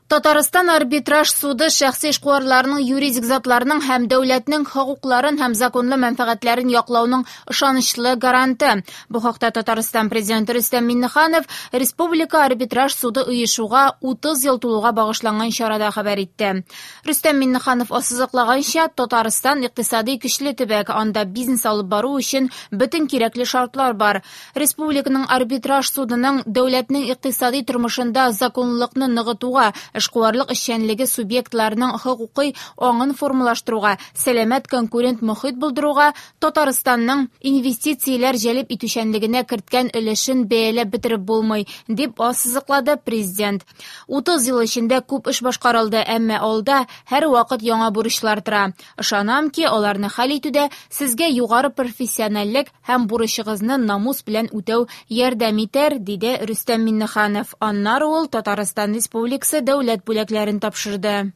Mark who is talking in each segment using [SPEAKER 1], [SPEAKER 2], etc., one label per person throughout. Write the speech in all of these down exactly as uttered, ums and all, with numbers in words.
[SPEAKER 1] Татарстан арбитраж суды шәхси эшкуарларның, юридик затларның һәм дәүләтнең хокукларын һәм законлы мәнфәгатьләрен яклауның ышанычлы гаранты. Бу хакта Татарстан президенты Рөстәм Миңнеханов Республика арбитраж суды оешуга утыз ел тулуга багышланган чарада хәбәр итте. Рөстәм Миңнеханов ассызыклаганча, Татарстан икътисади көчле төбәк, анда бизнес алып бару өчен бөтен кирәкле шартлар бар. Республиканың арбитраж судының дәүләтнең икътисади тормышында законлылыкны ныгытуга, эшкуарлык эшчәнлеге субъектларының хокукый аңын формалаштыруга, сәламәт конкурент мохит булдыруга, Татарстанның инвестицияләр җәлеп итүчәнлегенә керткән өлешен бәяләп бетереп булмый, дип ассызыклады президент. утыз ел эчендә күп эш башкарылды, әмма алда һәр вакыт яңа бурычлар тора. Ышанам ки, аларны хәл итүдә сезгә югары профессиональлек һәм бурычыгызны намус белән үтәү ярдәм итәр, диде Рөстәм Миңнеханов. Аннары ул Татарстан Республикасы дәүләт бүләкләрен тапшырды.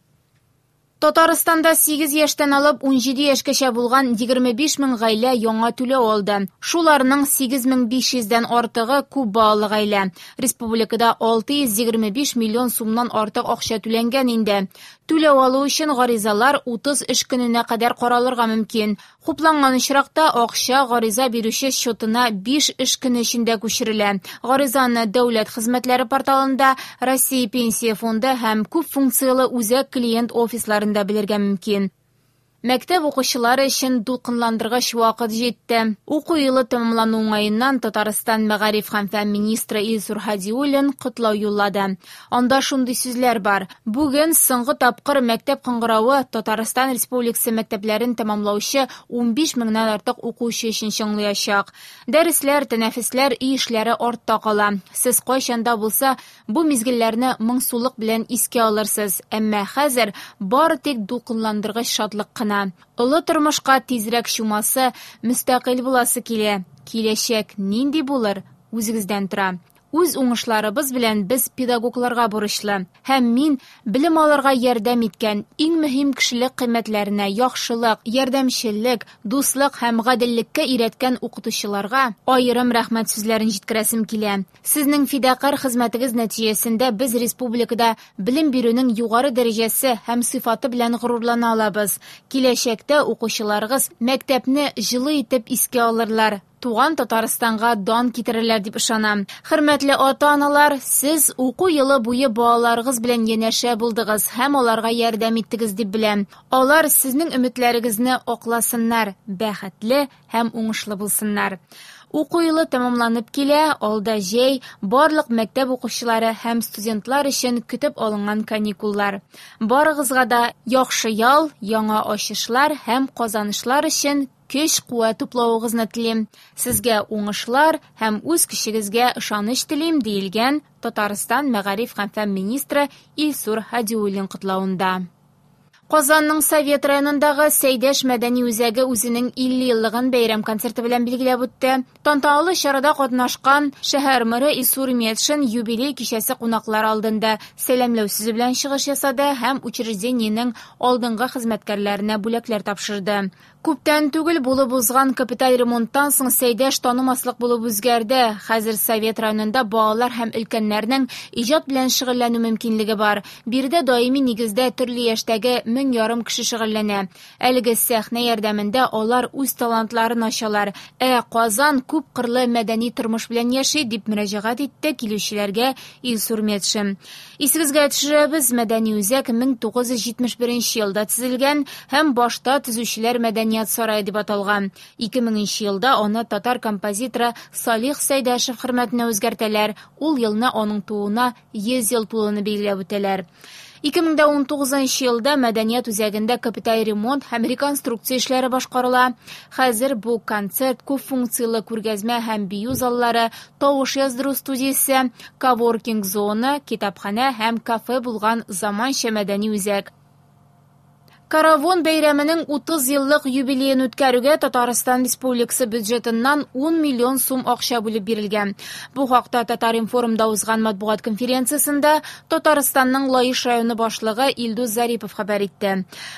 [SPEAKER 1] Татарстанда сигез яшьтән алып ун җиде яшькәчә булган егерме биш мең гаилә яңа түләү алды. Шуларның сигез мең биш йөздән артыгы күп балалы гаилә. Республикада алты йөз егерме биш миллион сумнан артык акча түләнгән инде. Түләү алу өчен гаризалар утыз эш көненә кадәр каралырга мөмкин. Хупланган очракта акча гариза бирүче счетына биш эш көне эчендә күчерелә. Гаризаны дәүләт хезмәтләре порталында, Россия Пенсия фонды һәм күп функцияле үзәк клиент офисларында белергә мөмкин. Мәктәп укучылары өчен дулкынландыргыч вакыт җитте. Уку елы тәмамлану уңаеннан Татарстан мәгариф һәм фән министры Илсур Һадиуллин котлау юллады. Анда шундый сүзләр бар: Бүген соңгы тапкыр мәктәп кыңгыравы Татарстан Республикасы мәктәпләрен тәмамлаучы унбиш меңнән артык укучы өчен чыңлаячак. Дәресләр, тәнәфесләр, өй эшләре артта кала. Сез кайчан да булса бу мизгелләрне моңсулык белән искә алырсыз, әмма хәзер бары тик дулкынландыргыч шатлык кына. Олы тормышка тизрәк чумасы, мөстәкыйль буласы килә. Киләчәк нинди булыр, үзегездән тора. Үз уңышларыбыз белән без педагогларга бурычлы. Һәм мин белем алырга ярдәм иткән иң мөһим кешелек кыйммәтләренә яхшылык, ярдәмчеллек, дуслык һәм гаделлеккә өйрәткән укытучыларга аерым рәхмәт сүзләрен җиткерәсем килә. Сезнең фидакарь хезмәтегез нәтиҗәсендә без республикада белем бирүнең югары дәрәҗәсе һәм сыйфаты белән горурлана алабыз. Киләчәктә укучыларыгыз мәктәпне җылы итеп искә алырлар, туган Татарстанга дан китерерләр дип ышанам. Хөрмәтле ата-аналар, сез уку елы буе балаларыгыз белән янәшә булдыгыз һәм аларга ярдәм иттегез дип беләм. Алар сезнең өметләрегезне акласыннар, бәхетле һәм уңышлы булсыннар. Уку елы тәмамланып килә, алда җәй, барлык мәктәп укучылары һәм студентлар өчен көтеп алынган каникуллар. Барыгызга да яхшы ял, яңа ачышлар һәм казанышлар өчен көч куәт туплавыгызны телим. Сезгә уңышлар һәм үз көчегезгә ышаныч телим, диелгән Татарстан мәгариф һәм фән министры Илсур Һадиуллин котлавында. Казанның Совет районындагы Сәйдәш мәдәни үзәге үзенең илле еллыгын бәйрәм концерты белән билгеләп үтте. Тантаналы чарада катнашкан шәһәр мэры Илсур Метшин юбилей кичәсе кунаклары алдында сәламләү сүзе белән чыгыш ясады һәм учреждениенең алдынгы хезмәткәрләренә бүләкләр тапшырды. Күптән түгел булып узган капиталь ремонттан соң Сәйдәш танымаслык булып үзгәрде. Хәзер Совет районында балалар һәм өлкәннәрнең иҗат белән шөгыльләнү мөмкинлеге бар. Биредә даими нигездә төрле яшьтәге мең ярым кеше шөгыльләнә. Әлеге сәхнә ярдәмендә алар үз талантларын ачалар. Ә Казан күп кырлы мәдәни тормыш белән яши, дип мөрәҗәгать итте килүчеләргә Илсур Метшин. Исегезгә төшерәбез, мәдәни үзәк мең тугыз йөз җитмеш беренче елда төзелгән һәм башта төзүчеләр мәдәният сарае дип аталган. Ике меңенче елда аны татар композиторы Салих Сәйдәшев хөрмәтенә үзгәртәләр. Ул елны аның тууына йөз ел тулуны билгеләп үтәләр. Ике мең дә унтугызынчы елда мәдәният үзәгендә капиталь ремонт һәм реконструкция эшләре башкарыла. Хәзер бу концерт, күп функцияле күргәзмә һәм бию заллары, тавыш яздыру студиясе, коворкинг зона, китапханә һәм кафе булган заманча мәдәни үзәк. Каравон бәйрәменең утыз еллык юбилеен үткәрүгә Татарстан Республикасы бюджетыннан ун миллион сум акча бүлеп бирелгән. Бу хакта Татар-информда узган матбугат конференциясендә Татарстанның Лаеш районы башлыгы Илдус Зарипов хәбәр итте.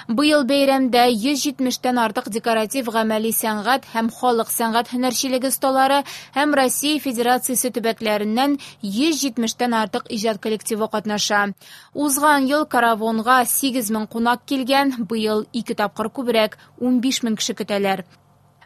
[SPEAKER 1] Быел бәйрәмдә йөз җитмештән артык декоратив гамәли сәнгать һәм халык сәнгать һөнәрчелеге осталары һәм Россия Федерациясе төбәкләреннән йөз җитмештән артык иҗат коллективы катнаша. Узган ел Каравонга сигез мең кунак килгән, быел ике тапкыр күбрәк, унбиш мең кеше көтәләр.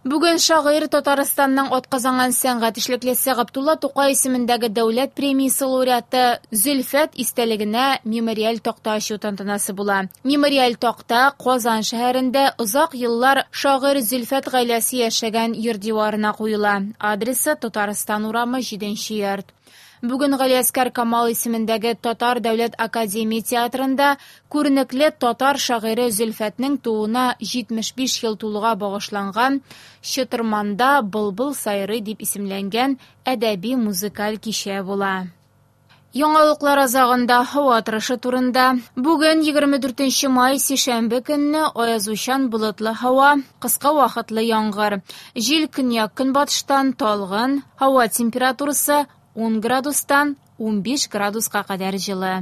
[SPEAKER 1] Бүген шагыйрь Татарстанның атказанган сәнгать эшлеклесе Габдулла Тукай исемендәге дәүләт премиясе лауреаты Зөлфәт истәлегенә мемориаль такта ачу тантанасы була. Мемориаль такта Казан шәһәрендә озак еллар шагыйрь Зөлфәт гаиләсе яшәгән йорт диварына куела. Адресы Татарстан урамы җиденче йорт. Бүген Галиәскәр Камал исемендәге Татар дәүләт академия театрында күренекле татар шагыйре Зөлфәтнең тууына җитмеш биш ел тулуга багышланган Чытырманда былбыл сайрый дип исемләнгән әдәби музыкаль кичә була. Яңалыклар азагында һава торышы турында. Бүген егерме дүртенче май сишәмбе көнне аязучан болытлы һава, кыска вакытлы яңгыр. Җил көньяк-көнбатыштан талгын, һава температурасы ун градустан унбиш градуска кадәр җылы.